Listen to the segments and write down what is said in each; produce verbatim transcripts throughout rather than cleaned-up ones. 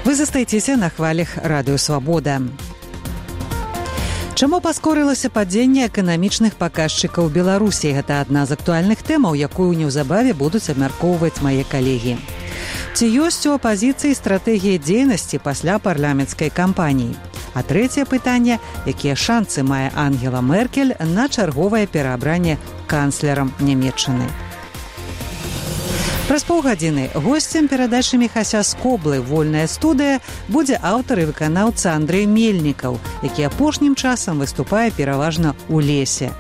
Вы застаецеся на хвалях радыё Свабода. Чаму паскорылася падзенне эканамічных паказчыкаў Беларусі? Гэта адна з актуальных тэмаў, якую неўзабаве будуць абмяркоўваць мае калегі. Ці ёсць у апазіцыі стратэгія дзейнасці пасля парламенцкай кампаніі? А трэцяе пытанне, якія шанцы мае Ангела Меркель на чарговае пераабранне канцлерам Нямецчыны? Праз паўгадзіны госцем перадачы Міхася Скоблы «Вольная студыя» будзе аўтар і выканаўца Андрэй Мельнікаў, які апошнім часам выступае пераважна ў лесе.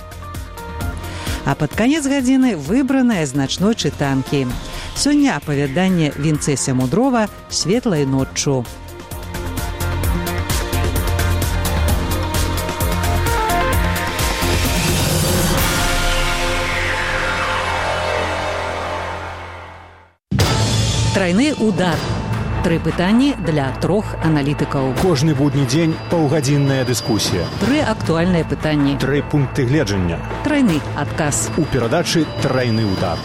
А пад канец гадзіны выбраныя з начной чытанкі. Сёння апавяданне Вінцэся Мудрова «Светлай ноччу». Трайны удар. Тры пытанні для трох аналітыкаў. Кожны будні дзень паўгадзінная дыскусія. Тры актуальныя пытанні. Тры пункты гледжання. Трайны адказ. У перадачы «Трайны удар».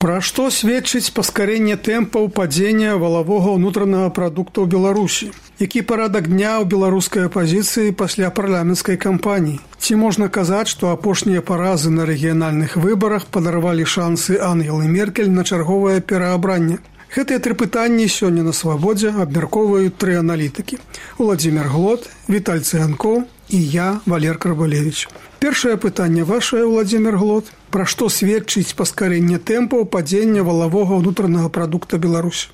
Пра што сведчыць паскарэнне тэмпаў падзення валавога ўнутранага прадукту ў Беларусі? Які парадак дня ў беларускай апазіцыі пасля парламенцкай кампаніі? Ці можна казаць, што апошнія паразы на рэгіянальных выбарах падарвалі шансы Ангелы Меркель на чарговае пераабранне? Гэтыя тры пытанні сёння на Свабодзе абмяркоўваюць тры аналітыкі. Уладзімир Глот, Віталь Цыганкоў і я, Валер Карбалевіч. Першае пытанне вашае, Уладзімир Глот. Пра што сведчыць паскарэнне тэмпаў падзення валавога ўнутранага прадукта Беларусі?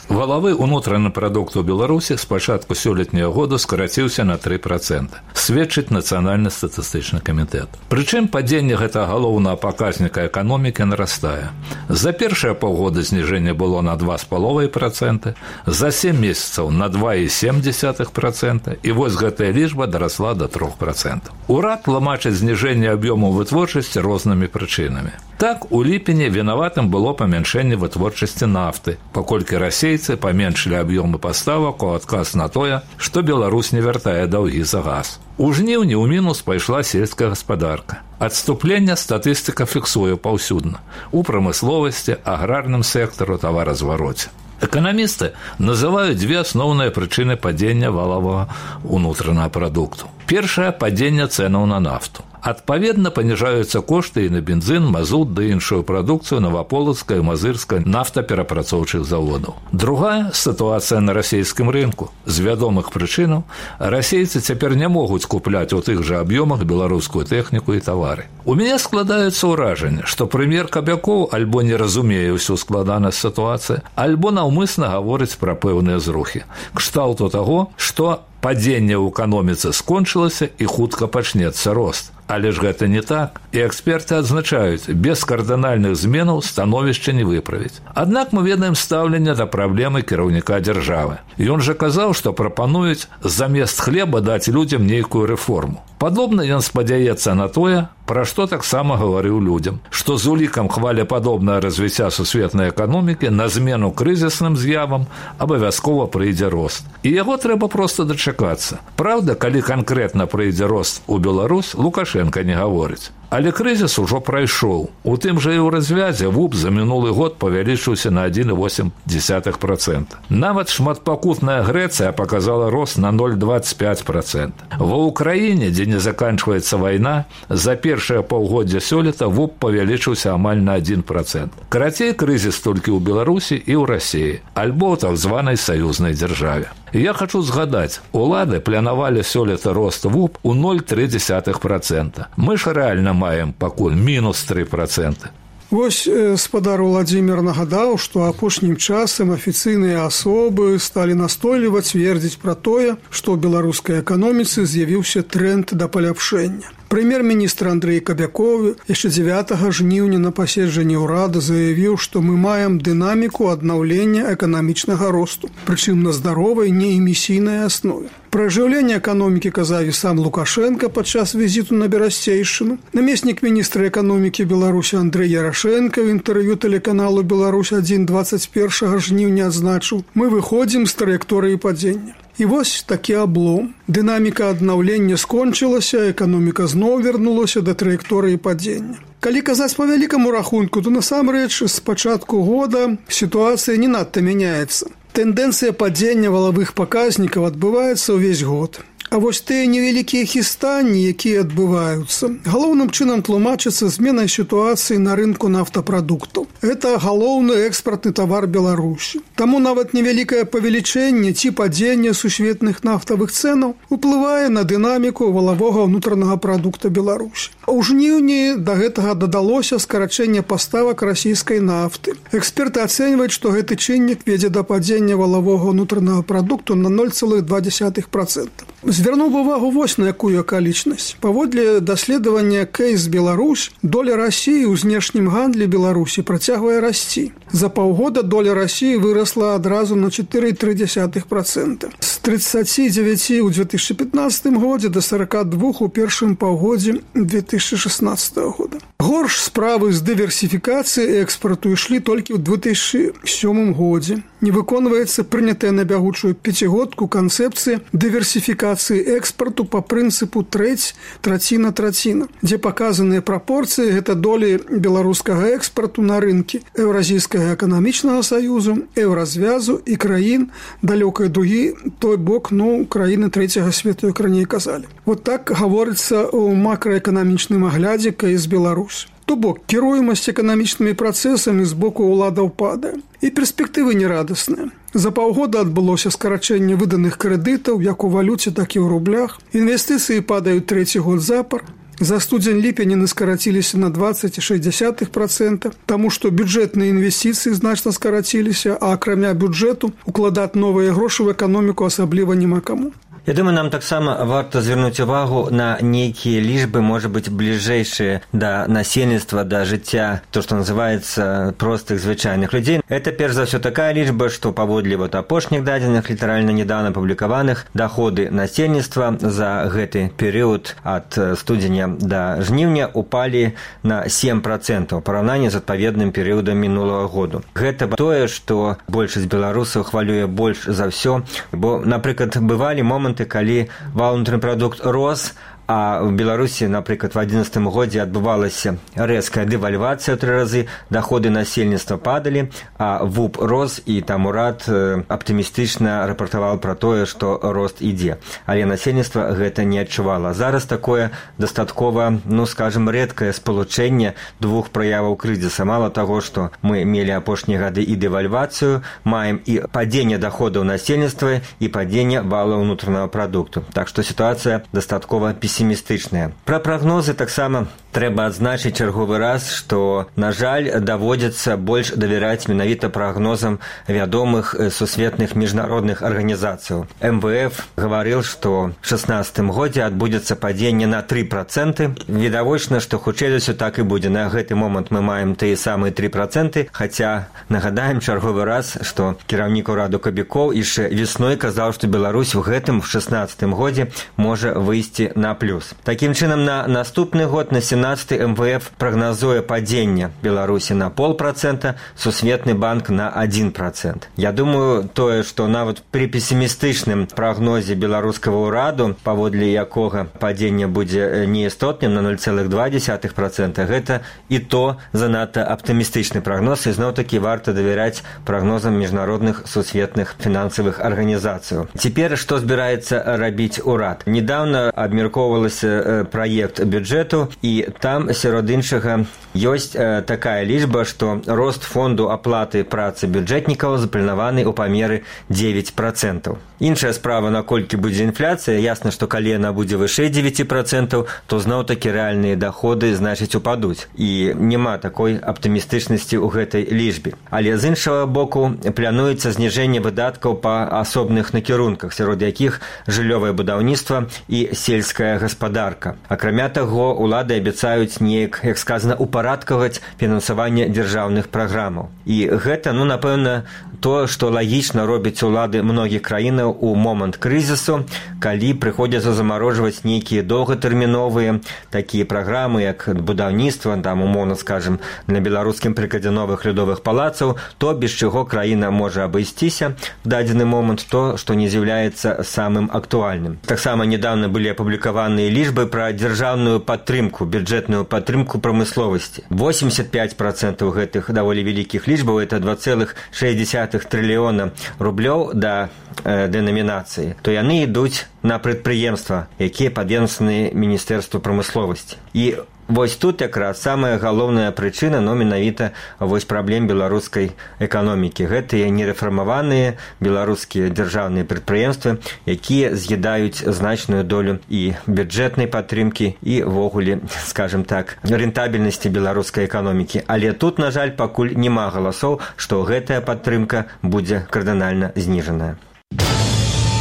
Валавы ўнутраны прадукт у Беларусі з пачатку сёлетняга года скараціўся на тры працэнты. Сведчыць Нацыянальны статыстычны камітэт. Прычым падзенне гэтага галоўнага паказніка эканомікі нарастае. За першае паўгода зніжэнне было на два з паловай працэнты, за сем месяцаў на два і сем дзесятых працэнта, і вось гэтая лічба дарасла да трох працэнтаў. Урад тлумачыць зніжэнне аб'ёму вытворчасці рознымі прычынамі. Так, у ліпені вінаватым было памяншэнне вытворчасці нафты, паколькі расейцы паменшылі аб'ёмы паставак у адказ на тое, што Беларусь не вяртае даўгі за газ. У жніўні ў мінус пайшла сельская гаспадарка. Адступленне статыстыка фіксуе паўсюдна у прамысловасці, аграрным сектару, таваразвароце. Эканамісты называюць дзве асноўныя прычыны падзення валавага ўнутранага прадукту. Першае – падзенне цэнаў на нафту. Адпаведна, паніжаюцца кошты і на бензін, мазут ды іншую прадукцыю Новаполацкай і Мазырскай нафтаперапрацоўчых заводаў. Другая – сітуацыя на расійскім рынку. З вядомых прычынаў расейцы цяпер не могуць купляць у тых жа аб'ёмах беларускую тэхніку і тавары. У мяне складаецца ўражанне, што прэм'ер Кабякоў альбо не разумее ўсю складанасць сітуацыі, альбо наўмысна гаворыць пра пэўныя зрухі. Кшталту таго, што падзенне ў эканоміцы скончылася і хутка пачнецца рост. Але ж гэта не так, і эксперты адзначаюць, без кардынальных зменаў становішча не выправіць. Аднак мы ведаем стаўленне да праблемы кіраўніка дзяржавы. Ён жа казаў, што прапануюць замест хлеба даць людзям нейкую рэформу. Падобна ён спадзяецца на тое, пра што таксама гаварыў людзям, што з улікам хвалепадобнае развіцця сусветнай эканомікі на змену крызісным з'явам абавязкова прыйдзе рост. І яго трэба проста дачакацца. Праўда, калі канкрэтна прыйдзе рост у Беларусь, Лукашенка не гаворыць. Але крызіс ужо прайшоў. У тым жа і ў развязе ВУП за мінулы год павялічыўся на адзін і восем дзесятых працэнта. Нават шматпакутная Грэцыя паказала рост на ноль дваццаць пяць працэнтаў. Ва ўкраіне, дзе не заканчваецца вайна, за першае паўгоддзя сёлета ВУП павялічыўся амаль на адзін працэнт. Карацей, крызіс толькі ў Беларусі і ў Расіі, альбо ў так званай саюзнай дзяржаве. Я хочу згадаць, улады планавалі сёлета рост ВУП у ноль цалых тры дзесятых працэнта. Мы ж рэальна маем пакуль мінус тры працэнты. Вось спадар Уладзімир нагадаў, што апошнім часам афіцыйныя асобы сталі настойліваць цвердзіць пра тое, што ў беларускай эканоміцы з'явіўся тренд да паляпшэння. Прэм'ер-міністр Андрэй Кабякоў яшчэ дзевятага жніўня на паседжанні ўрада заявіў, што мы маем дынаміку аднаўлення эканамічнага росту, прычым на здаровай неэмісійнай аснове. Пра ажыўленне эканомікі казаў і сам Лукашенка падчас візіту на Берасцейшчыну. Намеснік міністра эканомікі Беларусі Андрэй Ярашэнка ў інтэрв'ю тэлеканалу «Беларусь адзін» дваццаць першага жніўня адзначыў: «Мы выходзім з траекторыі падзення». І вось такі аблом. Дынаміка аднаўлення скончылася, эканоміка зноў вярнулася да траекторыі падзення. Калі казаць па вялікаму рахунку, то насамрэч з пачатку года сітуацыя не надта мяняецца. Тэндэнцыя падзення валавых паказнікаў адбываецца ўвесь год. А вось тыя невялікія хістанні, якія адбываюцца, галоўным чынам тлумачацца зменай сітуацыі на рынку нафтапрадуктаў. Гэта галоўны экспартны тавар Беларусі. Таму нават невялікае павелічэнне ці падзенне сусветных нафтавых цэнаў уплывае на дынаміку валавога ўнутранага прадукта Беларусі. У жніўні да гэтага дадалося скарачэнне паставак расійскай нафты. Эксперты ацэньваюць, што гэты чыннік вядзе да падзення валавога ўнутранага прадукту на ноль цэлых два дзесятых працэнта. Звярнуў увагу вось на якую акалічнасць. Паводле даследавання Кейс Беларусь, доля Расіі ў знешнім гандлі Беларусі працягвае расці. За паўгода доля Расіі вырасла адразу на чатыры цэлых тры дзесятых працэнта. З тридцати девяти ў две тысячи пятнадцатым годзе да сорока двух у першым паўгодзе две тысячи шестнадцатого года. Горш справы з дыверсіфікацыі экспарту ішлі толькі ў две тысячи сёмым годзе. Не выконваецца прынятая на бягучую пяцігодку канцэпцыя дыверсіфікацыі экспарту па прынцыпу трэць, траціна, траціна, дзе паказаныя прапорцыі гэта долі беларускага экспарту на рынкі Еўразійскага эканамічнага саюзу, еўразвязу і краін далёкай дугі, той бок, ну, краіны трэцяга свету, як раней казалі. Вот так гаворыцца ў макраэканамічным аглядзе Кейс Беларусь. То бок, кіруемасць эканамічнымі працэсамі з боку ўладаў падае. І перспектывы нерадасныя. За паўгода адбылося скарачэнне выданых крэдытаў як у валюце, так і ў рублях. Інвестыцыі падаюць трэці год запар. За студзень-ліпень яны скараціліся на двадцать цэлых шэсць дзесятых працэнта, таму што бюджэтныя інвестыцыі значна скараціліся, а акрамя бюджэту укладаць новыя грошы ў эканоміку асабліва няма каму. Я думаю, нам таксама варта звярнуць увагу на нейкія лічбы, можа быць, бліжэйшыя да насельніцтва, да жыцця, то, што называецца простых звычайных людзей. Это, перш за ўсё, такая лічба, што паводле вот апошніх дадзеных, літаральна недавно публікаваных, даходы насельніцтва за гэты перыяд ад студзеня да жніўня упалі на сем працэнтаў у параўнанні з адпаведным перыядам мінулага году. Гэта тое, што большасць беларусаў хвалюе больш за ўсё, бо, напрыклад, бывалі моманты, калі валовы прадукт рос, а в Беларусі, напрыклад, в адзінаццатым годзе адбывалася рэзкая дэвальвацыя ў тры разы, даходы насельніцтва падалі, а ВУП рос, і там урад аптымістычна рапартаваў пра тое, што рост ідзе. Але насельніцтва гэта не адчувала. Зараз такое дастаткова, ну, скажем, рэдкае спалучэнне двух праяваў крызіса. Мала таго, што мы мелі апошнія гады і дэвальвацыю, маем і падзенне даходаў насельніцтва, і падзенне валовага ўнутранага прадукту. Так што сітуацыя дастаткова песімістычная. Пра прагнозы таксама трэба адзначыць чарговы раз, што, на жаль, даводзіцца больш давяраць менавіта прагнозам вядомых сусветных міжнародных арганізацыяў. эм вэ эф гаварыў, што ў шэснаццатым годзе адбудзецца падзенне на тры працэнты. Відавочна, што хутчэй за ўсё так і будзе. На гэты момант мы маем тыя самыя тры працэнты, хаця нагадаем чарговы раз, што кіраўнік ураду Кабікоў яшчэ весной казаў, што Беларусь у гэтым в шэснаццатым годзе можа выйсці на плюс. Такім чынам, на наступны год, на сямнаццаты, эм вэ эф прагназуе падзенне Беларусі на полпрацэнта, Сусветны банк на адзін працэнт. Я думаю, тое, што нават пры песімістычным прагнозе беларускага ўраду, паводле якога падзенне будзе неістотным на ноль цэлых два дзесятых працэнта, гэта і то занадта аптымістычны прагноз, і зноў-такі варта давяряць прагнозам міжнародных сусветных фінансавых арганізацыяў. Цяпер што збіраецца рабіць урад? Недавно абмяркоўвалася праект бюджэту, і там, сярод іншага, ёсць такая лічба, што рост фонду аплаты працы бюджэтнікаў запланаваны ў памеры дзевяць працэнтаў. Іншая справа, наколькі будзе інфляцыя, ясна, што калі яна будзе вышэй дзевяць працэнтаў, то зноў-такі рэальныя даходы, значыць, упадуць. І няма такой аптымістычнасці ў гэтай лічбе. Але з іншага боку плануецца зніжэнне выдаткаў па асобных накірунках, сярод якіх жыллёвае будаўніцтва і сельская гаспадарка. Акрамя таго, улады абяцаюць неяк, як сказана, упарадкаваць фінансаванне дзяржаўных праграмаў. І гэта, ну, напэўна, тое, што лагічна робяць улады многіх краінаў у момант крызісу, калі прыходзіцца замарожваць нейкія доўгатэрміновыя такія праграмы, як будаўніцтва, там, умоўна скажем, на беларускім прыкладзе новых лёдовых палацаў, то без чаго краіна можа абысціся в дадзены момант, то, што не з'яўляецца самым актуальным. Таксама недавно былі апублікаваны данные лічбы пра дзяржаўную падтрымку, бюджэтную падтрымку прамысловасці. восемьдесят пять процентов гэтых даволі вялікіх лічбаў, это два целых шесть десятых трыльёна рублёў да э, дэнамінацыі, то яны ідуць на прадпрыемства, якія падведомственны Міністэрству прамысловасці. І вось тут якраз самая галоўная прычына, но менавіта вось праблем беларускай эканомікі. Гэтыя нерэфармаваныя беларускія дзяржаўныя прадпрыемствы, якія з'ядаюць значную долю і бюджэтнай падтрымкі, і ввогуле, скажем так, рэнтабельнасці беларускай эканомікі. Але тут, на жаль, пакуль няма галасоў, што гэтая падтрымка будзе кардынальна зніжаная.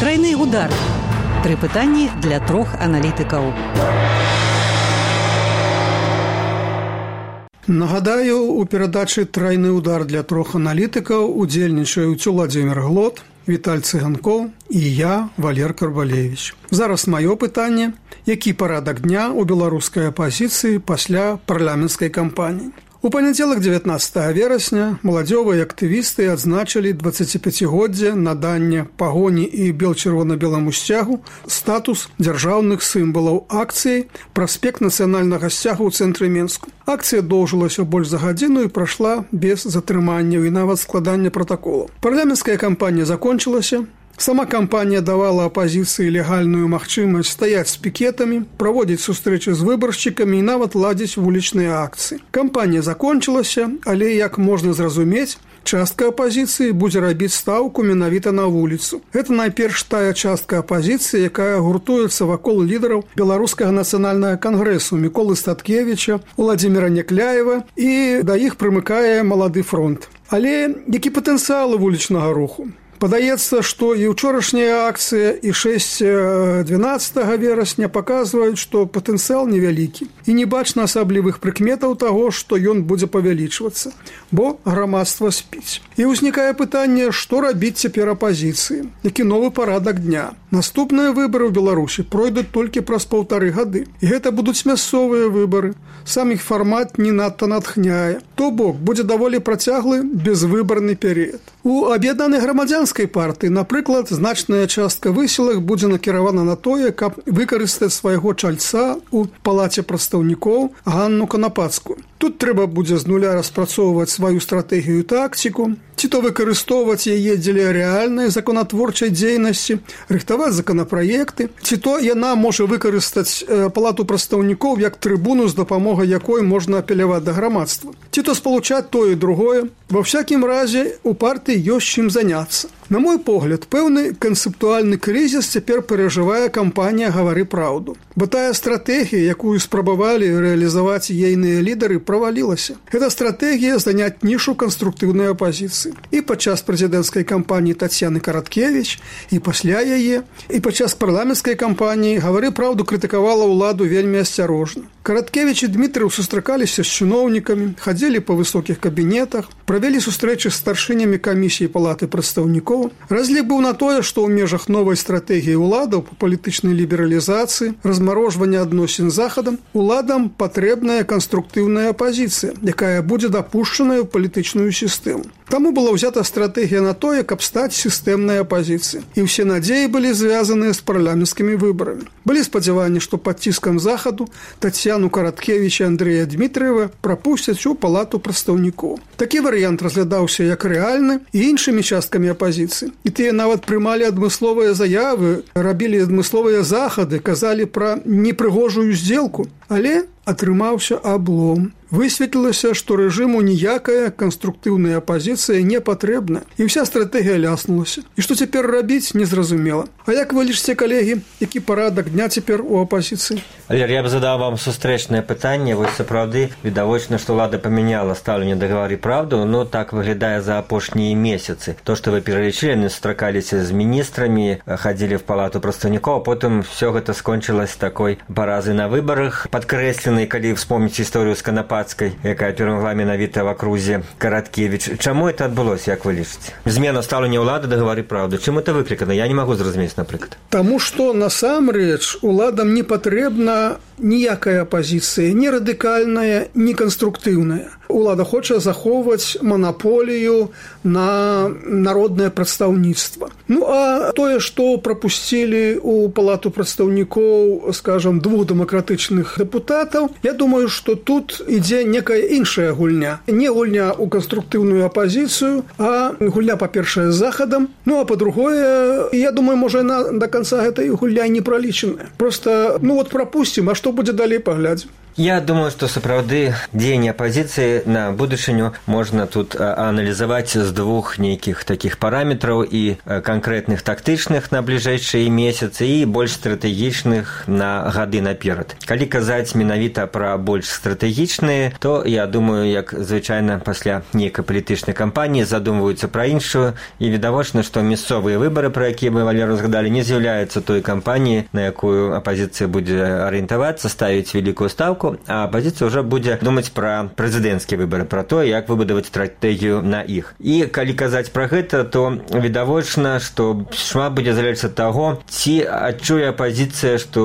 Трайны удар. Тры пытанні для трох аналітыкаў. Нагадаю, у перадачы «Трайны удар» для трох аналітыкаў удзельнічаюць Уладзімір Глот, Віталь Цыганкоў і я, Валер Карбалевіч. Зараз маё пытанне: які парадак дня ў беларускай апазіцыі пасля парламенцкай кампаніі? У панядзелак дзевятнаццатага верасня маладзёвыя актывісты адзначылі дваццаціпяцігоддзе надання пагоні і бел-чырвона-беламу сцягу статус дзяржаўных сімвалаў акцыі «Праспект нацыянальнага сцягу» ў цэнтры Менску. Акцыя доўжылася больш за гадзіну і прайшла без затрыманняў і нават складання пратаколаў. Парламенцкая кампанія закончылася. Сама кампанія давала апазіцыі легальную магчымасць стаяць з пікетамі, праводзіць сустрэчы з выбаршчыкамі і нават ладзіць вулічныя акцыі. Кампанія закончылася, але, як можна зразумець, частка апазіцыі будзе рабіць стаўку менавіта на вуліцу. Гэта найперш тая частка апазіцыі, якая гуртуецца вакол лідараў Беларускага нацыянальнага кангрэсу Міколы Статкевіча, Уладзіміра Някляева, і да іх прымыкае Малады фронт. Але які патэнцыял вулічнага руху? Падаецца, што і ўчорашняя акцыя, і шэсць дванаццатага верасня паказваюць, што патэнцыял невялікі. І не бачна асаблівых прыкметаў таго, што ён будзе павялічвацца, бо грамадства спіць. І ўзнікае пытанне, што рабіць цяпер апазіцыі? Які новы парадак дня? Наступныя выбары ў Беларусі пройдуць толькі праз паўтары гады. І гэта будуць мясцовыя выбары. Сам іх фармат не надта натхняе. То бок, будзе даволі працяглы безвыбарны перыяд. У аб'яднанай грамадзянскай партыі, напрыклад, значная частка высілак будзе накіравана на тое, каб выкарыстаць свайго чальца ў палаце прадстаўнікоў Ганну Канапацкую. Тут трэба будзе з нуля распрацоўваць сваю стратэгію і тактику, ці то выкарыстоўваць яе дзеля рэальнай законатворчай дзейнасці, рыхтаваць законапраекты, ці то яна можа выкарыстаць палату прадстаўнікоў як трыбуну, з дапамогай якой можна апеляваць да грамадства. Ці то спалучаць тое і другое. Ва всякім разе у партыі ёсць чым заняцца. На мой погляд, пэўны канцэптуальны крызіс цяпер перажывае кампанія «Гавары праўду». Бо тая стратэгія, якую спрабавалі рэалізаваць ейныя лідары, правалілася. Гэта стратэгія заняць нішу канструктыўнай апазіцыі. І падчас прэзідэнцкай кампаніі Тацьяны Караткевіч, і пасля яе, і падчас парламенцкай кампаніі «Гавары праўду» крытыкавала ўладу вельмі асцярожна. Караткевіч і Дмітрыў сустракаліся з чыноўнікамі, хадзілі па высокіх кабінетах, правялі сустрэчы з старшынямі камісіі палаты прадстаўнікоў. Разлік быў на тое, што ў межах новай стратэгіі ўладаў па палітычнай лібералізацыі, размарожвання адносін з захадам, уладам патрэбная канструктыўная апазіцыя, якая будзе дапушчаная ў палітычную сістэму. Таму была ўзята стратэгія на тое, каб стаць сістэмнай апазіцыяй. І ўсе надзеі былі звязаныя з парламенцкімі выбарамі. Былі спадзяванні, што пад ціскам захаду Тацьяну Караткевіч і Андрэя Дмітрыева прапусцяць у палату прадстаўнікоў. Такі варыянт разглядаўся як рэальны і іншымі часткамі апазіцыі. І тыя нават прымалі адмысловыя заявы, рабілі адмысловыя захады, казалі пра непрыгожую здзелку. Але атрымаўся аблом. Высветлілася, што рэжыму ніякая канструктыўная апазіцыя не патрэбна, і вся стратэгія ляснулася. І што цяпер рабіць, незразумела. А як вы лічыце, калегі, які парадак дня цяпер у апазіцыі? Валер, я б задаў вам сустрэчнае пытанне. Вось сапраўды відавочна, што ўлада памяняла стаўленне да «Гавары праўду», но так выглядае за апошнія месяцы. То, што вы пералічылі, яны сустракаліся з міністрамі, хадзілі в палату прадстаўнікоў, а потым все гэта скончылася такой паразай на выбарах, падкрэсленай, калі вспомніць гісторыю з Канапацкай, якая перамагла менавіта в акрузе Караткевіч. Чаму это адбылося, як вы лічыце? Змена стаўлення ўлады да «Гавары праўду». Чым это выклікана? Я не магу зразумець, напрыклад. Таму што насамрэч уладам не патрэбна ніякая апазіцыя, ні радыкальная, ні канструктыўная. улада хоча захоўваць манаполію на народнае прадстаўніцтва. Ну, а тое, што прапусцілі ў палату прадстаўнікоў, скажам, двух дэмакратычных дэпутатаў, я думаю, што тут ідзе некая іншая гульня. Не гульня ў канструктыўную апазіцыю, а гульня, па-першае, з захадам. Ну, а па-другое, я думаю, можа, яна да канца гэтай гульня не пралічаная. Просто, ну, вот прапусцім, а што будзе далей, паглядзім. Я думаю, што сапраўды дзеянне апазіцыі на будучыню можна тут аналізаваць з двух нейкіх такіх параметраў і канкрэтных тактычных на бліжэйшыя месяцы і больш стратэгічных на гады наперад. Калі казаць менавіта пра больш стратэгічныя, то я думаю, як звычайна пасля нейкай палітычнай кампаніі задумваюцца пра іншую, і відавочна, што мясцовыя выбары, пра якія мы, Валеру, згадалі, не з'яўляюцца той кампаніяй, на якую апазіцыя будзе арыентавацца, ставіць вялікую стаўку, а апозіцыя ўжо будзе думаць пра прэзідэнцкія выбары, пра то, як выбудаваць стратэгію на іх. І калі казаць пра гэта, то відавочна, што шмат будзе залежаць ад таго, ці адчуе апозіцыя, што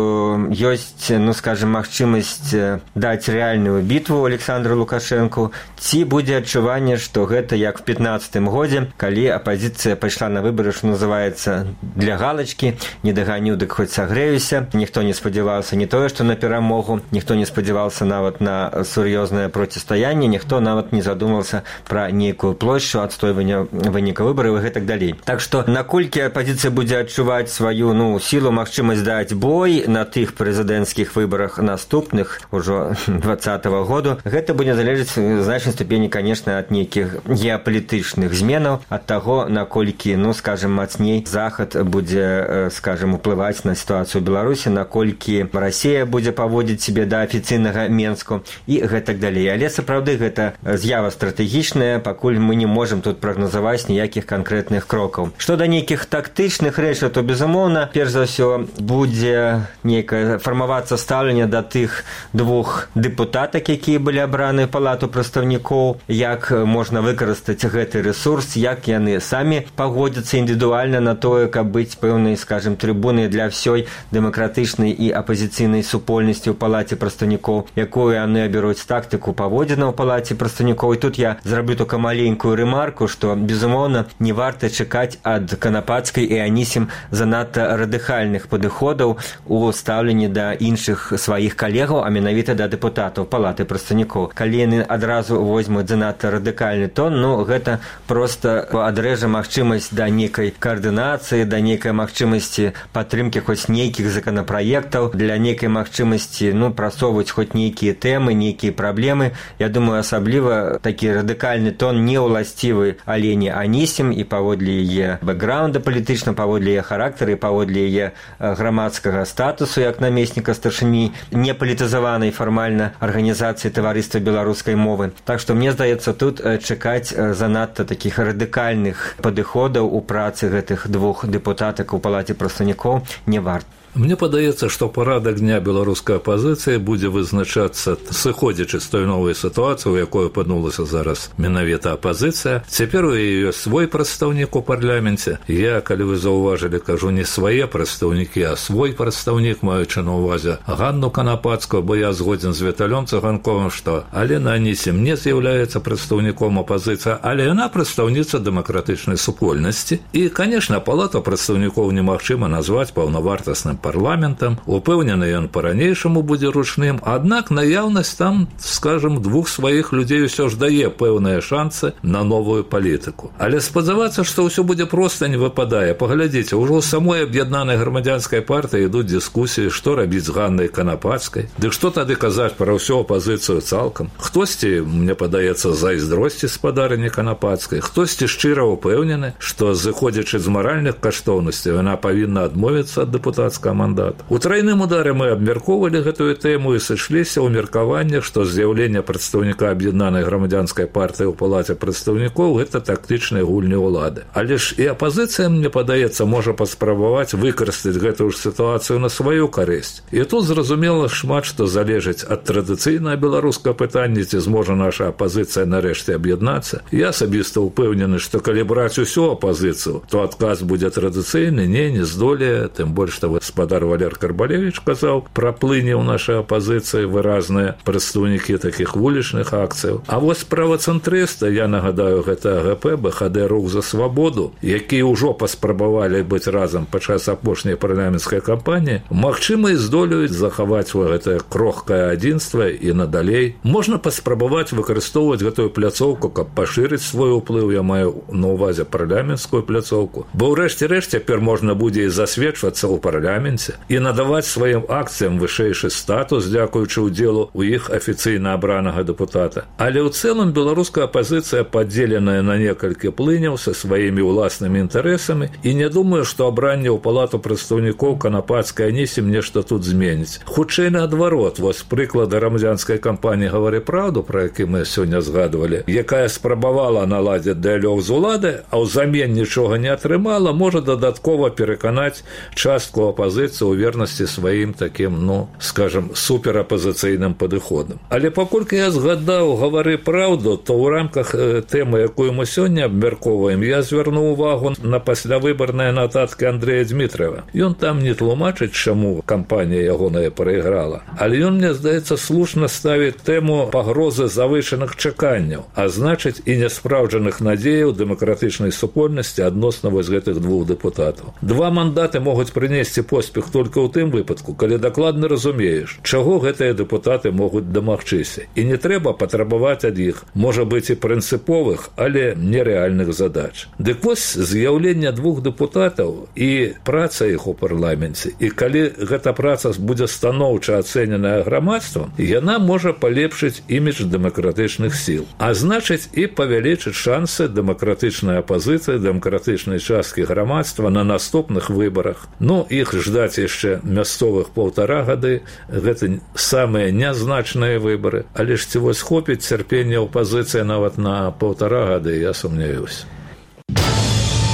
ёсць, ну, скажем, магчымасць даць рэальную бітву Александру Лукашэнку, ці будзе адчуванне, што гэта як в пятнаццатым годзе, калі апозіцыя пайшла на выбары, што называецца, для галачкі, не даганю, дык хоць сагрэюся, ніхто не спадзяваўся не тое, што на перамогу, ніхто не спадзяваўся нават на сур'ёзнае процістаянне, ніхто нават не задумаўся пра нейкую плошчу адстойвання выніка выбараў і гэтак далей. Так што наколькі апозіцыя будзе адчуваць сваю, ну, сілу, магчымасць даць бой на тых прэзідэнцкіх выбарах наступных ужо двадцатага году, гэта будзе залежаць в значнай ступені, конечно, ад нейкіх геапалітычных зменаў, ад таго, наколькі, ну, скажем, мацней захад будзе, скажем, уплываць на сітуацыю ў Беларусі, наколькі Расія будзе паводзіць сябе да афіцыйнага Менску і гэтак далей. Але сапраўды гэта з'ява стратэгічная, пакуль мы не можам тут прагназаваць ніякіх канкрэтных крокаў. Што да нейкіх тактычных рэчаў, то, безумоўна, перш за ўсё будзе нейкае фармавацца стаўленне да тых двух дэпутатак, якія былі абраны ў палату прадстаўнікоў, як можна выкарыстаць гэты рэсурс, як яны самі пагодзяцца індывідуальна на тое, каб быць пэўнай, скажем, трыбунай для ўсёй дэмакратычнай і апазіцыйнай супольнасці ў палаце прадстаўнікоў, якую яны абяруць тактыку паводзіна ў палаце прадстаўнікоў. І тут я зраблю только маленькую рэмарку, што, безумоўна, не варта чакаць ад Канапацкай і Анісім занадта радыкальных падыходаў у стаўленні да іншых сваіх калегаў, а менавіта да дэпутатаў палаты прадстаўнікоў. Калі яны адразу возьмуць занадта радыкальны тон, ну, гэта проста адрэжа магчымасць да нейкай каардынацыі, да нейкай магчымасці падтрымкі хоць нейкіх законапраектаў, для нейкай магчымасці, ну, прасоўваць хоць нейкія тэмы, нейкія праблемы. Я думаю, асабліва такі радыкальны тон не ўласцівы Алене Анісім і паводле яе бэкграунда палітычна, паводле яе характары, паводле яе грамадскага статусу як намесніка старшыні непалітызаванай фармальна арганізацыі таварыства беларускай мовы. Так што мне здаецца, тут чакаць занадта такіх радыкальных падыходаў у працы гэтых двух дэпутатак у палаце прадстаўнікоў не варта. Мне падаецца, што парадак дня беларускай апазіцыі будзе вызначацца, сыходзячы з той новай сітуацыі, у якой апынулася зараз менавіта апазіцыя. Цяпер у яе ёсць свой прадстаўнік у парламенце. Я, калі вы заўважылі, кажу не свае прадстаўнікі, а свой прадстаўнік, маючы на ўвазе Ганну Канапацкую, бо я згодзін з Віталём Цыганковым, што Алена Анісім не з'яўляецца прадстаўніком апазіцыі, але яна прадстаўніца дэмакратычнай супольнасці. І, канешне, палата прадстаўнікоў немагчыма назваць паўнавартасным парламентам, упэўнены ён па-ранейшаму будзе ручным, аднак наяўнасць там, скажем, двух сваіх людзей усё ж дае пэўныя шансы на новую палітыку. Але спадзявацца, што ўсё будзе проста не выпадае. Паглядзіце, ўжо ў самой аб'яднанай грамадзянскай партыі ідуць дыскусіі, што рабіць з Ганнай Канапацкай. Дык што тады казаць пра ўсю апазіцыю цалкам? Хтосьці, мне падаецца, зайздросці спадарыні Канапацкай, хтосьці шчыра ўпэўнены, што, зыходзячы з маральных каштоўнасцяў, яна павінна адмовіцца ад дэпутацкага мандат. У трайным ударе мы абмяркоўвалі гэтую тэму і сышліся ў меркаваннях, што з'яўленне прадстаўніка аб'яднанай грамадзянскай партыі ў палаце прадстаўнікоў гэта тактычныя гульні ўлады. Але ж і апазіцыя, мне падаецца, можа паспрабаваць выкарыстаць гэтую ж сітуацыю на сваю карысць. І тут зразумела шмат што залежыць ад традыцыйнага беларускага пытання, ці зможа наша апазіцыя нарэшце аб'яднацца. Я асабіста ўпэўнены, што калі браць усю апазіцыю, то адказ будзе традыцыйны, не, не здолее, тым больш што вы гаспадар Валер Карбалевич казаў пра плыне ў нашай апазіцыі выразныя прадстаўнікі такіх вулічных акцыяў. А вось правацэнтрыста, я нагадаю, гэта АГП, БХД «Рух за свабоду», якія ўжо паспрабавалі быць разам падчас апошняй парламенцкай кампаніі, магчыма, і здолеюць захаваць гэтае крохкае адзінства і надалей. Можна паспрабаваць выкарыстоўваць гэтую пляцоўку, каб пашырыць свой уплыў, я маю на ўвазе парламенцкую пляцоўку. Бо ўрэшце рэшт цяпер можна будзе і засведчвацца ў парламенце і надаваць сваім акцыям вышэйшы статус, дзякуючы ўдзелу ў іх афіцыйна абранага дэпутата. Але ў цэлым беларуская апазіцыя падзеленая на некалькі плыняў са сваімі ўласнымі інтарэсамі, і не думаю, што абранне ў палату прадстаўнікоў канапацкай анісім нешта тут зменіць. Хутчэй наадварот, вось прыклады грамадзянскай кампаніі «Гавары праўду», пра які мы сёння згадвалі, якая спрабавала наладзіць дыялог з улады, а ўзамен нічога не атрымала, можа дадаткова пераканаць частку апазіцыі ў вернасці сваім такім, ну, скажам, суперапазіцыйным падыходам. Але паколькі я згадаў «Гавары праўду», то ў рамках тэмы, якую мы сёння абмяркоўваем, я звярнуў увагу на паслявыбарныя нататкі Андрэя Дмітраева. Ён там не тлумачыць, чаму кампанія ягоная прайграла. Але ён, мне здаецца, слушна ставіць тэму пагрозы завышаных чаканняў, а значыць і няспраўджаных надзеяў дэмакратычнай супольнасці адносна вось гэтых двух дэпутатаў. Два мандаты могуць прынесці поспех толькі ў тым выпадку, калі дакладна разумееш, чаго гэтыя дэпутаты могуць дамагчыся. І не трэба патрабаваць ад іх, можа быць, і прынцыповых, але нерэальных задач. Дык вось з'яўленне двух дэпутатаў і праца іх у парламенце, і калі гэта праца будзе станоўча ацэненая грамадствам, яна можа палепшыць імідж дэмакратычных сіл, а значыць і павялічыць шансы дэмакратычнай апазіцыі, дэмакратычнай часткі грамадства на наступных выбарах. Ну, іх ждаць яшчэ мясцовых паўтара гады, гэта самыя нязначныя выбары, але ж ці вось хопіць цярпення апазіцыі нават на паўтара гады, я сумняюсь.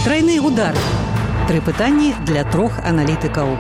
Трайны удар. Тры пытанні для трох аналітыкаў.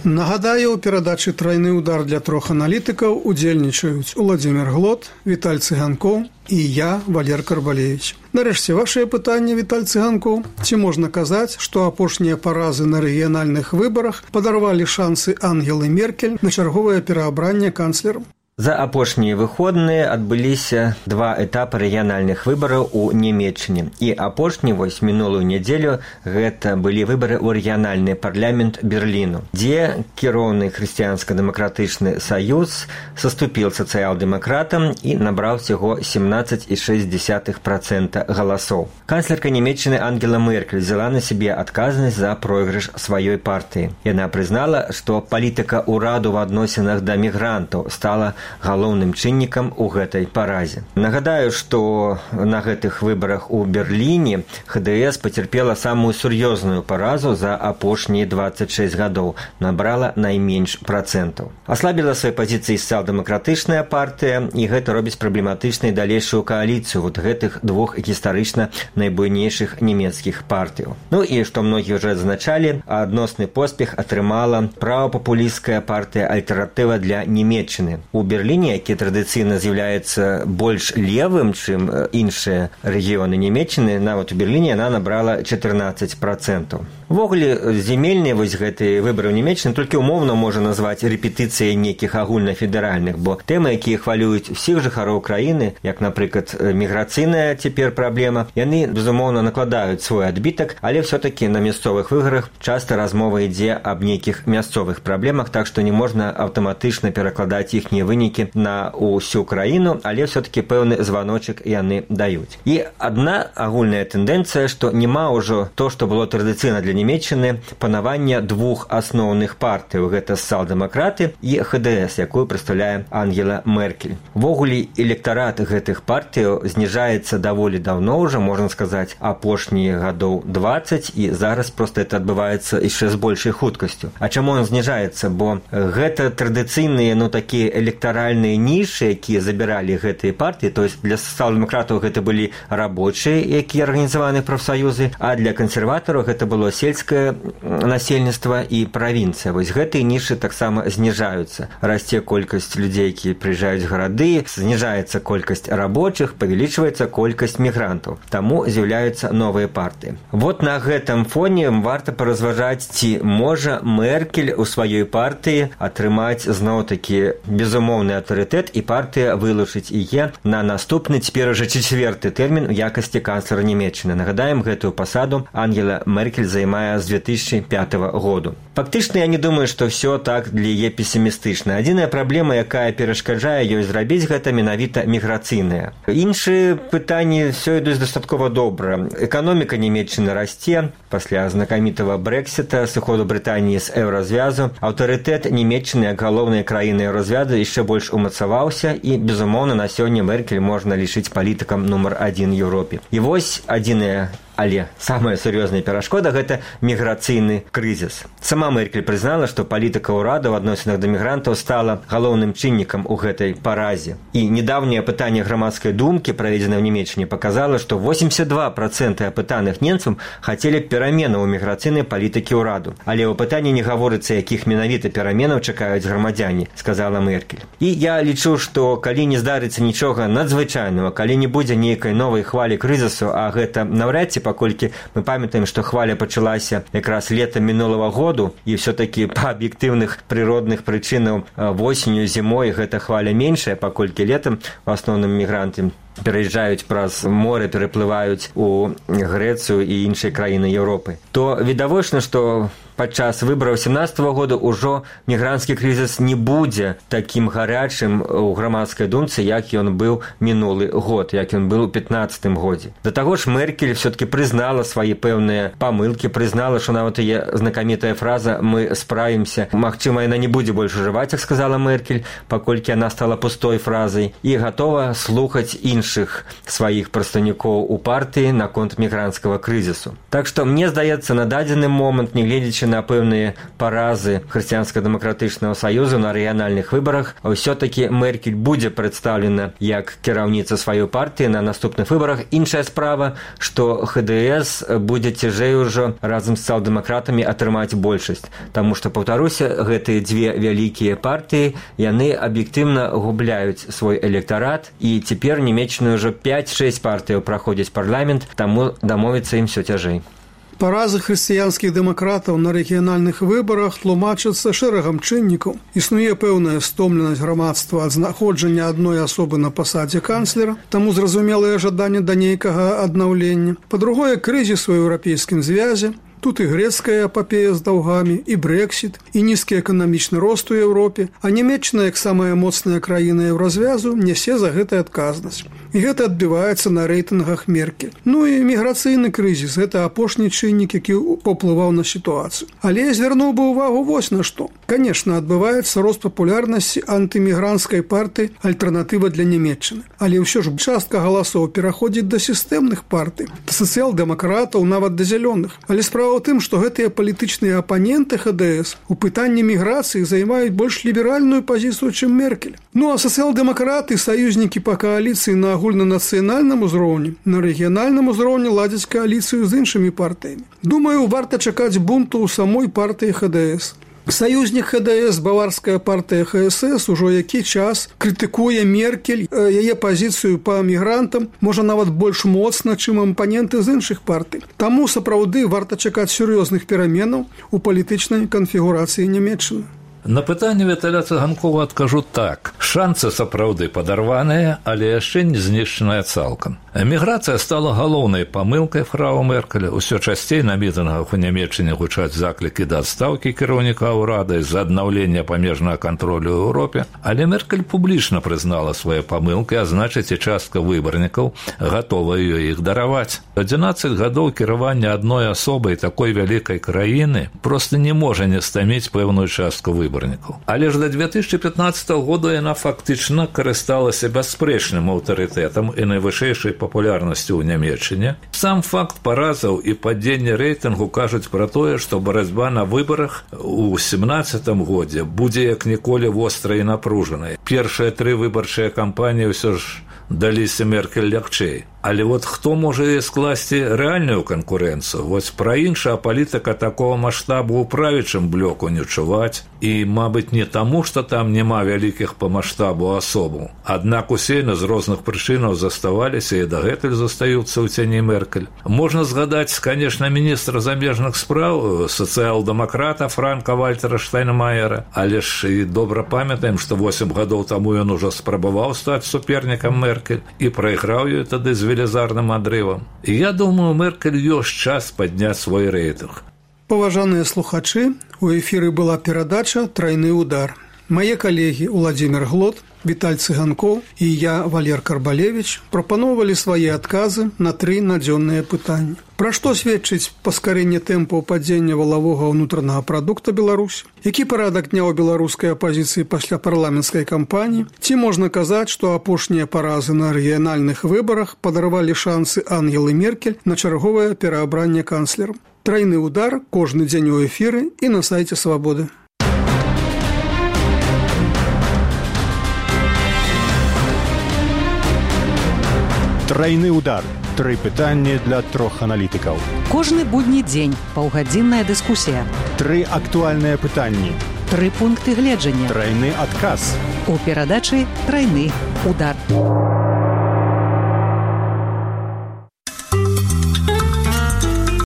Нагадаю, у перадачы «Трайны удар» для трох аналітыкаў удзельнічаюць Уладзімір Глот, Віталь Цыганкоў і я, Валер Карбалевич. Нарэшце, вашае пытанне, Віталь Цыганкоў. Ці можна казаць, што апошнія паразы на рэгіянальных выбарах падарвалі шансы Ангелы Меркель на чарговае пераабранне канцлерам? За апошнія выходныя адбыліся два этапы рэгіянальных выбараў у Нямецчыне. І апошні, вось мінулую нядзелю, гэта былі выбары ў рэгіянальны парламент Берліну, дзе кіроўны хрысціянска-дэмакратычны саюз саступіў сацыял-дэмакратам і набраў усяго семнаццаць і шэсць дзесятых працэнта галасоў. Канцлерка Нямецчыны Ангела Меркель взяла на сябе адказнасць за пройгрыш сваёй партыі. Яна прызнала, што палітыка ўраду ў адносінах да мігрантаў стала галоўным чыннікам у гэтай паразе. Нагадаю, што на гэтых выбарах у Берліне ХДС пацярпела самую сур'ёзную паразу за апошнія дваццаць шэсць гадоў, набрала найменш працэнтаў. Аслабіла свае пазіцыі сацыял-дэмакратычная партыя, і гэта робіць праблематычнай далейшую кааліцыю вот гэтых двух гістарычна найбуйнейшых нямецкіх партыяў. Ну і, што многія ўжэ зазначалі, адносны поспех атрымала правапапулісцкая партыя «Альтэрнатыва для Нямецчыны». У Берліне, які традыцыйна з'яўляецца больш левым, чым іншыя рэгіёны Нямецчыны, нават у Берліне яна набрала чатырнаццаць працэнтаў. Увогуле, земельныя вось гэтыя выбары ў Нямецчыны толькі умоўна можна назваць рэпетыцыяй нейкіх агульнафедэральных, бо тэмы, якія хвалююць усіх жыхароў краіны, як, напрыклад, міграцыйная цяпер праблема, яны, безумоўна, накладаюць свой адбітак, але ўсё-такі на мясцовых выбарах часта размова ідзе аб нейкіх мясцовых праблемах, так што не можна аўтаматычна перакладаць іхнія вынікі на ўсю краіну, але ўсё-такі пэўны званочак яны даюць. І адна агульная тэндэнцыя, што няма ўжо то, што было традыцыйна для Нямецчыны, панавання двух асноўных партыяў, гэта сацыял-дэмакраты і ХДС, якую прадстаўляе Ангела Меркель. Увогуле, электарат гэтых партыяў зніжаецца даволі даўно ўжо, можна сказаць, апошнія гадоў дваццаць, і зараз проста это адбываецца яшчэ з большай хуткасцю. А чаму ён зніжаецца? Бо гэта традыцыйныя, ну, такія электараты электоральныя нішы, якія забіралі гэтыя партыі, то есть для сацыял-дэмакратаў гэта былі рабочыя, якія арганізаваны прафсаюзы, а для кансерватараў гэта было сельскае насельніцтва і правінцыя. Вось гэтыя нішы таксама зніжаюцца. Расце колькасць людзей, якія прыязджаюць в гарады, зніжаецца колькасць рабочых, павялічваецца колькасць мігрантаў. Таму з'яўляюцца новыя партыі. Вот на гэтым фоне варта паразважаць, ці можа Меркель у сваёй партыі атрымаць зноў-такі безумоўны аўтарытэт і партыя вылучыць яе на наступны, цяпер уже чацвёрты тэрмін у якасці канцлера Нямецчыны. Нагадаем, гэтую пасаду Ангела Меркель займае з две тысячи пятого году. Фактычна, я не думаю, што ўсё так для яе песімістычна. Адзіная праблема, якая перашкаджае ёй зрабіць гэта, менавіта міграцыйная. Іншыя пытанні ўсё ідуць дастаткова добра. Эканоміка Нямецчыны расце пасля знакамітага Брэксіта, сыходу Брытаніі з еўразвязу. Аўтарытэт Нямецчыны як галоўнай краіны еўразвязу яшчэ больш умацаваўся, і, безумоўна, на сёння Меркель можна лічыць палітыкам нумар адзін Еўропе. І вось адзіная, але самая сур'ёзная перашкода – гэта міграцыйны крызіс. Сама Меркель прызнала, што палітыка ўрада ў адносінах да мігрантаў стала галоўным чыннікам у гэтай паразе. І недаўняе апытанне грамадскай думкі, праведзенае ў Нямецчыне, паказала, што восемьдесят два процента апытаных немцам хацелі пераменаў у міграцыйнай палітыкі ўраду. Але ў апытанні не гаворыцца, якіх менавіта пераменаў чакаюць грамадзяне, сказала Меркель. І я лічу, што калі не здарыцца нічога надзвычайнага, калі не будзе нейкай новай хвалі крызісу, а гэта наўрад ці, паколькі мы памятаем, што хваля пачалася якраз летам мінулага году, і ўсё-такі па аб'ектыўных прыродных прычынаў восенню, зімой гэта хваля меншая, паколькі летам в асноўным мігранты пераязджаюць праз море, пераплываюць у Грэцыю і іншыя краіны Еўропы, то відавочна, што падчас выбараў семнадцатого года ўжо мігранцкі крызіс не будзе такім гарячым у грамадскай думцы, як ён быў мінулы год, як ён быў у пятнадцатым годзе. Да таго ж Меркель все-таки прызнала свае пэўныя памылкі, прызнала, што нават яе знакамітая фраза «мы справімся», магчыма, яна не будзе больш ужываць, як сказала Меркель, паколькі яна стала пустой фразай, і гатова слухаць іншых сваіх прадстаўнікоў у партыі наконт мігранцкага крызісу. Так што, мне здаецца, на дадзены момант, не гледзячы на пэўныя паразы хрысціянска-дэмакратычнага саюзу на рэгіянальных выбарах, ўсё-такі Меркель будзе прадстаўлена як кіраўніца сваёй партыі на наступных выбарах. Іншая справа, што ха дэ эс будзе цяжэй ужо разам з сацыял-дэмакратамі атрымаць большасць, таму што, паўтаруся, гэтыя дзве вялікія партыі, яны аб'ектыўна губляюць свой электарат, і цяпер Нямецчына ўжо пяць-шэсць партыяў праходзяць парламент, таму дамовіцца ім усё цяжэй. Паразы хрысціянскіх дэмакратаў на рэгіянальных выбарах тлумачацца шэрагам чыннікаў. Існуе пэўная стомленасць грамадства ад знаходжання адной асобы на пасадзе канцлера, таму зразумелае жаданне да нейкага аднаўлення. Па-другое, крызіс у еўрапейскім звязе. Тут і грэцкая эпапея з даўгамі, і Брэксіт, і нізкі эканамічны рост у Еўропе, а Нямецчына, як самая моцная краіна еўразвязу, нясе за гэта адказнасць. І гэта адбіваецца на рэйтынгах Меркель. Ну і міграцыйны крызіс – гэта апошні чыннік, які паўплываў на сітуацыю. Але я звярнуў бы ўвагу вось на што. Канешне, адбываецца рост папулярнасці антымігранцкай партыі «Альтэрнатыва для Нямецчыны». Але ўсё ж частка галасоў пераходзіць да сістэмных партый, да сацыял-дэмакратаў, нават да зялёных. Але справа ў тым, што гэтыя палітычныя апаненты ха дэ эс у пытанні міграцыі займаюць больш ліберальную пазіцыю, чым Меркель. Ну а сацыял-дэмакраты, саюзнікі па кааліцыі на агульнанацыянальным узроўні, на рэгіянальным узроўні ладзяць кааліцыю з іншымі партыямі. Думаю, варта чакаць бунту ў самой партыі ха дэ эс. Саюзнік ха дэ эс, баварская партыя ха эс эс, ужо які час крытыкуе Меркель, яе пазіцыю па мігрантам, можа нават больш моцна, чым апаненты з іншых партый. Таму сапраўды варта чакаць сур'ёзных пераменаў у палітычнай канфігурацыі Нямецчыны. На пытанне Віталя Цыганкова адкажу так. Шанцы сапраўды падарваныя, але яшчэ не знішчаная цалкам. Эміграцыя стала галоўнай памылкай фрау Меркеля. Усё часцей на мітынгах у Нямецчыне гучаць заклікі да адстаўкі кіраўніка ўрада з-за аднаўлення памежнага кантролю ў Еўропе, але Меркель публічна прызнала свае памылкі, а значыць і частка выбарнікаў гатова ёй іх дараваць. адзінаццаць гадоў кіравання адной асобай такой вялікай краіны проста не можа не стаміць пэўную частку выбарнікаў. Але ж да две тысячи пятнадцатого года яна фактычна карысталася бясспрэчным аўтарытэтам і найвышэйшай папулярнасцю ў Нямецчыне. Сам факт паразаў і падзення рэйтынгу кажуць пра тое, што барацьба на выбарах у семнаццатым годзе будзе як ніколі вострай і напружанай. Першыя тры выбарчыя кампаніі ўсё ж даліся Меркель лягчэй. Але вот хто можа скласці рэальную канкурэнцыю? Вось пра іншая палітыка такого маштабу ў правічым блоку не чуваць. І, мабыць, не таму, што там няма вялікіх па маштабу асобаў. Аднак усе з розных прычынаў заставаліся і дагэтуль застаюцца ў цяні Меркель. Можна згадаць, канешне, міністра замежных спраў, сацыял-дэмакрата Франка Вальтера Штайнмаера, але ж і добра памятаем, што восем гадоў таму ён ужо спрабаваў стаць супернікам Меркель і прайграў ёй тады з велізарным адрывам. І я думаю, Меркель ёсць час падняць свой рэйтынг. Паважаныя слухачы, у эфіры была перадача «Трайны удар». Мае калегі Уладзімір Глот, Віталь Цыганкоў і я, Валер Карбалевіч, прапаноўвалі свае адказы на тры надзённыя пытанні. Пра што сведчыць паскарэнне тэмпаў падзення валавога ўнутранага прадукта Беларусі? Які парадак дня ў беларускай апазіцыі пасля парламенцкай кампаніі? Ці можна казаць, што апошнія паразы на рэгіянальных выбарах падарвалі шансы Ангелы Меркель на чарговае пераабранне канцлерам? Трайны удар кожны дзень у эфіры і на сайце Свабоды. Трайны удар. Тры пытанні для трох аналітыкаў. Кожны будні дзень паўгадзінная дыскусія. Тры актуальныя пытанні. Тры пункты гледжання. Трайны адказ. У перадачы «Трайны удар».